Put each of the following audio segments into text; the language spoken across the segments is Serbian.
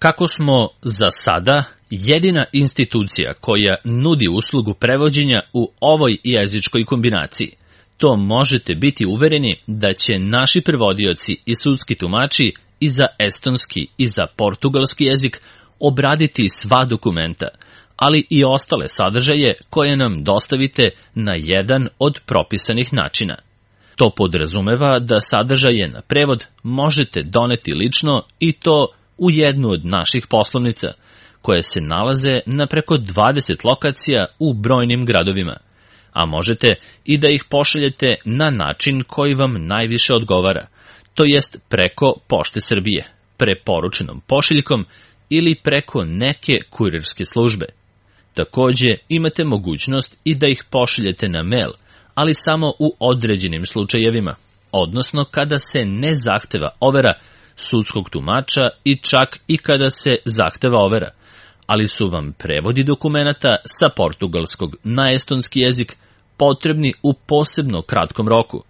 Kako smo za sada jedina institucija koja nudi uslugu prevođenja u ovoj jezičkoj kombinaciji, to možete biti uvereni da će naši prevodioci i sudski tumači i za estonski i za portugalski jezik obraditi sva dokumenta, ali i ostale sadržaje koje nam dostavite na jedan od propisanih načina. To podrazumeva da sadržaje na prevod možete doneti lično i to u jednu od naših poslovnica, koje se nalaze na preko 20 lokacija u brojnim gradovima, a možete i da ih pošaljete na način koji vam najviše odgovara, to jest preko Pošte Srbije, preporučenom pošiljkom ili preko neke kurirske službe. Takođe, imate mogućnost i da ih pošaljete na mail, ali samo u određenim slučajevima, odnosno kada se ne zahteva overa sudskog tumača i čak i kada se zahteva overa, ali su vam prevodi dokumenata sa portugalskog na estonski jezik potrebni u posebno kratkom roku,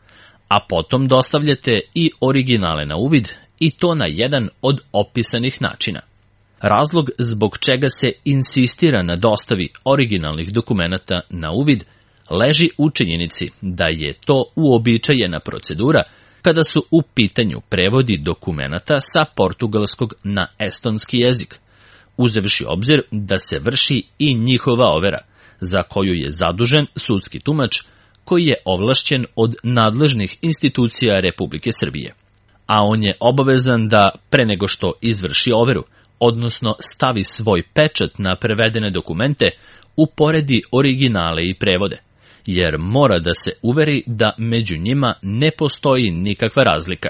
a potom dostavljate i originale na uvid i to na jedan od opisanih načina. Razlog zbog čega se insistira na dostavi originalnih dokumenata na uvid leži u činjenici da je to uobičajena procedura kada su u pitanju prevodi dokumenata sa portugalskog na estonski jezik, uzevši obzir da se vrši i njihova overa, za koju je zadužen sudski tumač koji je ovlašćen od nadležnih institucija Republike Srbije. A on je obavezan da, pre nego što izvrši overu, odnosno stavi svoj pečat na prevedene dokumente, uporedi originale i prevode, jer mora da se uveri da među njima ne postoji nikakva razlika.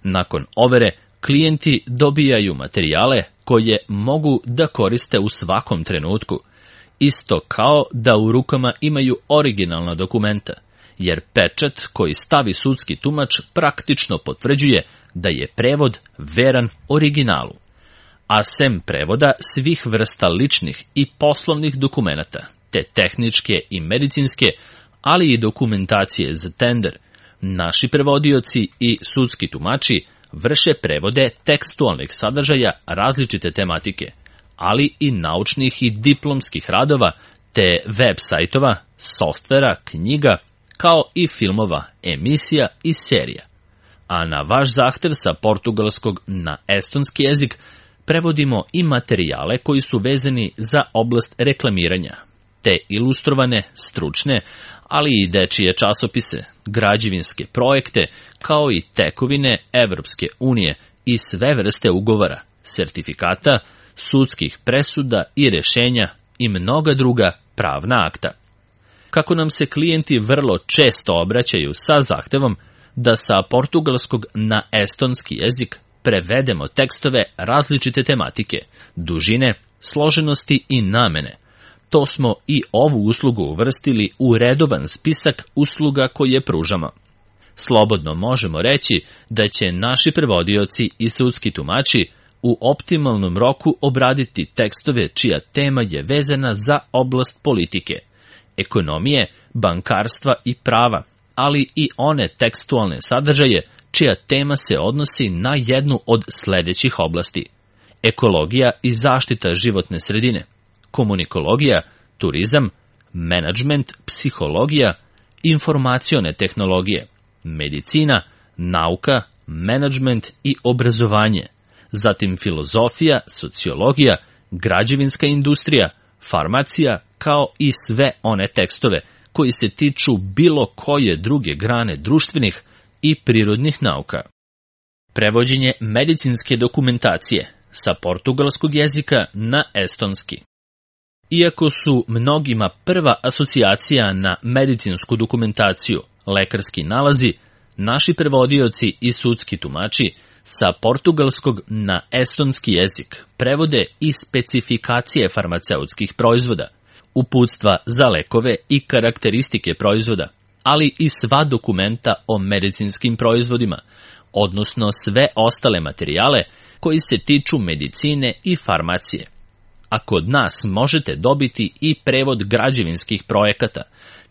Nakon overe, klijenti dobijaju materijale koje mogu da koriste u svakom trenutku, isto kao da u rukama imaju originalna dokumenta, jer pečat koji stavi sudski tumač praktično potvrđuje da je prevod veran originalu. A sem prevoda svih vrsta ličnih i poslovnih dokumenata, te tehničke i medicinske, ali i dokumentacije za tender, naši prevodioci i sudski tumači vrše prevode tekstualnih sadržaja različite tematike, ali i naučnih i diplomskih radova, te web sajtova, softvera, knjiga, kao i filmova, emisija i serija. A na vaš zahtev sa portugalskog na estonski jezik prevodimo i materijale koji su vezani za oblast reklamiranja, te ilustrovane, stručne, ali i dečije časopise, građevinske projekte, kao i tekovine Evropske unije i sve vrste ugovora, sertifikata, sudskih presuda i rešenja i mnoga druga pravna akta. Kako nam se klijenti vrlo često obraćaju sa zahtevom da sa portugalskog na estonski jezik prevedemo tekstove različite tematike, dužine, složenosti i namene, to smo i ovu uslugu uvrstili u redovan spisak usluga koje pružamo. Slobodno možemo reći da će naši prevodioci i sudski tumači u optimalnom roku obraditi tekstove čija tema je vezana za oblast politike, ekonomije, bankarstva i prava, ali i one tekstualne sadržaje čija tema se odnosi na jednu od sledećih oblasti: ekologija i zaštita životne sredine, komunikologija, turizam, menadžment, psihologija, informacione tehnologije, medicina, nauka, menadžment i obrazovanje, zatim filozofija, sociologija, građevinska industrija, farmacija, kao i sve one tekstove koji se tiču bilo koje druge grane društvenih i prirodnih nauka. Prevođenje medicinske dokumentacije sa portugalskog jezika na estonski. Iako su mnogima prva asocijacija na medicinsku dokumentaciju lekarski nalazi, naši prevodioci i sudski tumači sa portugalskog na estonski jezik prevode i specifikacije farmaceutskih proizvoda, uputstva za lekove i karakteristike proizvoda, ali i sva dokumenta o medicinskim proizvodima, odnosno sve ostale materijale koji se tiču medicine i farmacije. A kod nas možete dobiti i prevod građevinskih projekata,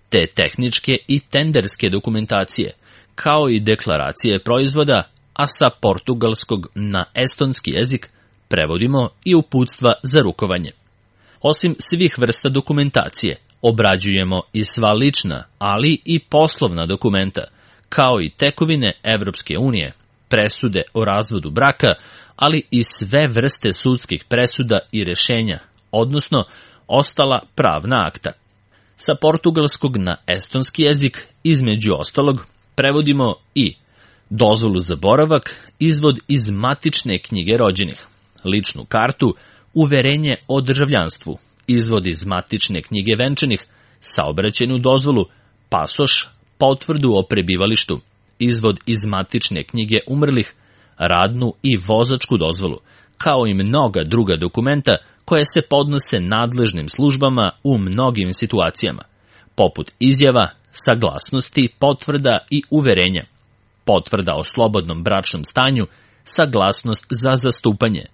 te tehničke i tenderske dokumentacije, kao i deklaracije proizvoda, a sa portugalskog na estonski jezik prevodimo i uputstva za rukovanje. Osim svih vrsta dokumentacije, obrađujemo i sva lična, ali i poslovna dokumenta, kao i tekovine Evropske unije, presude o razvodu braka, ali i sve vrste sudskih presuda i rešenja, odnosno ostala pravna akta. Sa portugalskog na estonski jezik, između ostalog, prevodimo i dozvolu za boravak, izvod iz matične knjige rođenih, ličnu kartu, uverenje o državljanstvu, izvod iz matične knjige venčanih, saobraćajnu dozvolu, pasoš, potvrdu o prebivalištu, izvod iz matične knjige umrlih, radnu i vozačku dozvolu, kao i mnoga druga dokumenta koje se podnose nadležnim službama u mnogim situacijama, poput izjava, saglasnosti, potvrda i uverenja, potvrda o slobodnom bračnom stanju, saglasnost za zastupanje,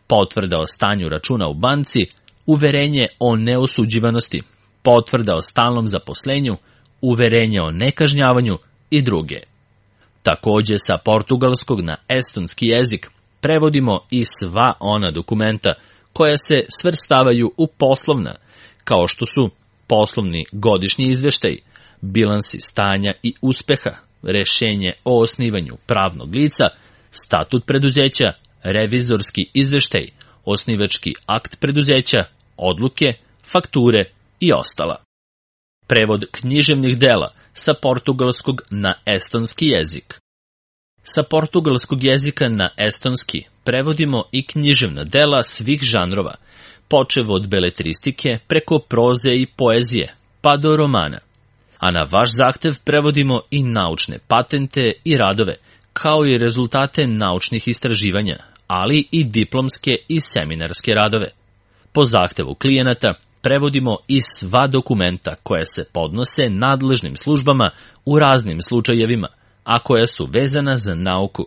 potvrda o stanju računa u banci, uverenje o neosuđivanosti, potvrda o stalnom zaposlenju, uverenje o nekažnjavanju i druge. Takođe sa portugalskog na estonski jezik prevodimo i sva ona dokumenta koja se svrstavaju u poslovna, kao što su poslovni godišnji izveštaj, bilansi stanja i uspeha, rešenje o osnivanju pravnog lica, statut preduzeća, revizorski izveštaj, osnivački akt preduzeća, odluke, fakture i ostala. Prevod književnih dela sa portugalskog na estonski jezik. Sa portugalskog jezika na estonski prevodimo i književna dela svih žanrova, počev od beletristike preko proze i poezije, pa do romana. A na vaš zahtev prevodimo i naučne patente i radove, kao i rezultate naučnih istraživanja, ali i diplomske i seminarske radove. Po zahtevu klijenata prevodimo i sva dokumenta koja se podnose nadležnim službama u raznim slučajevima, a koja su vezana za nauku.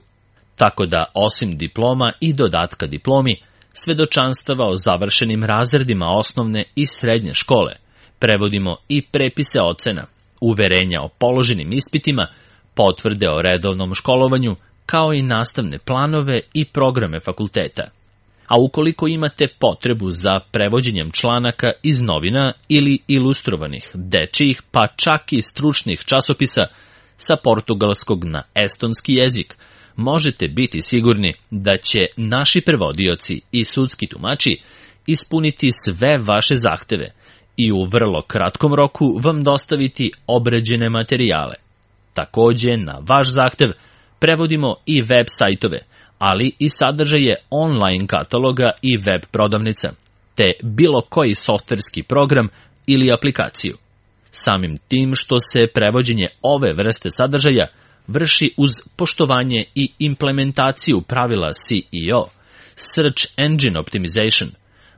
Tako da, osim diploma i dodatka diplomi, svedočanstava o završenim razredima osnovne i srednje škole, prevodimo i prepise ocena, uverenja o položenim ispitima, potvrde o redovnom školovanju, kao i nastavne planove i programe fakulteta. A ukoliko imate potrebu za prevođenjem članaka iz novina ili ilustrovanih, dečijih, pa čak i stručnih časopisa sa portugalskog na estonski jezik, možete biti sigurni da će naši prevodioci i sudski tumači ispuniti sve vaše zahteve i u vrlo kratkom roku vam dostaviti obrađene materijale. Takođe, na vaš zahtev prevodimo i web sajtove, ali i sadržaje online kataloga i web prodavnica, te bilo koji softverski program ili aplikaciju. Samim tim što se prevođenje ove vrste sadržaja vrši uz poštovanje i implementaciju pravila SEO, Search Engine Optimization,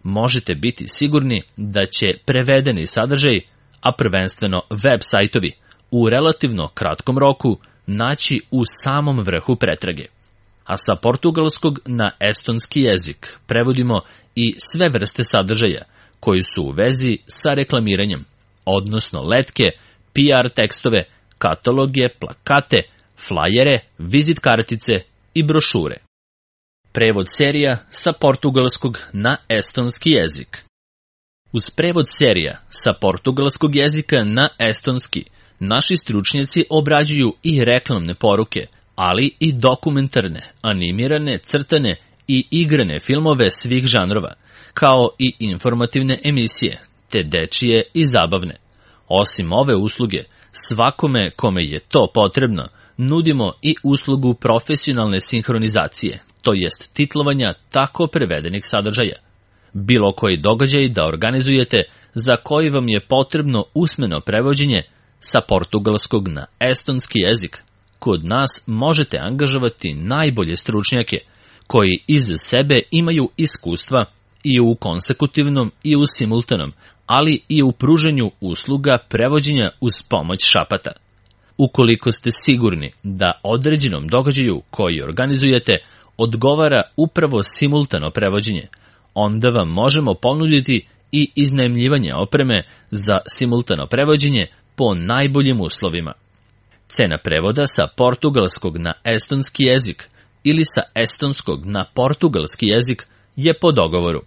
možete biti sigurni da će prevedeni sadržaj, a prvenstveno web sajtovi, u relativno kratkom roku naći u samom vrhu pretrage. A sa portugalskog na estonski jezik prevodimo i sve vrste sadržaja koji su u vezi sa reklamiranjem, odnosno letke, PR tekstove, kataloge, plakate, flajere, vizit kartice i brošure. Prevod serija sa portugalskog na estonski jezik. Uz prevod serija sa portugalskog jezika na estonski, naši stručnjaci obrađuju i reklamne poruke, ali i dokumentarne, animirane, crtane i igrane filmove svih žanrova, kao i informativne emisije, te dečije i zabavne. Osim ove usluge, svakome kome je to potrebno, nudimo i uslugu profesionalne sinhronizacije, to jest titlovanja tako prevedenih sadržaja. Bilo koji događaj da organizujete za koji vam je potrebno usmeno prevođenje sa portugalskog na estonski jezik, kod nas možete angažovati najbolje stručnjake koji iz sebe imaju iskustva i u konsekutivnom i u simultanom, ali i u pruženju usluga prevođenja uz pomoć šapata. Ukoliko ste sigurni da određenom događaju koji organizujete odgovara upravo simultano prevođenje, onda vam možemo ponuditi i iznajmljivanje opreme za simultano prevođenje po najboljim uslovima. Cena prevoda sa portugalskog na estonski jezik ili sa estonskog na portugalski jezik je po dogovoru.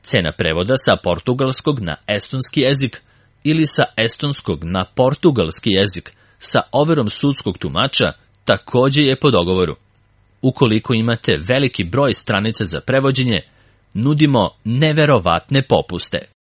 Cena prevoda sa portugalskog na estonski jezik ili sa estonskog na portugalski jezik sa overom sudskog tumača takođe je po dogovoru. Ukoliko imate veliki broj stranica za prevođenje, nudimo neverovatne popuste.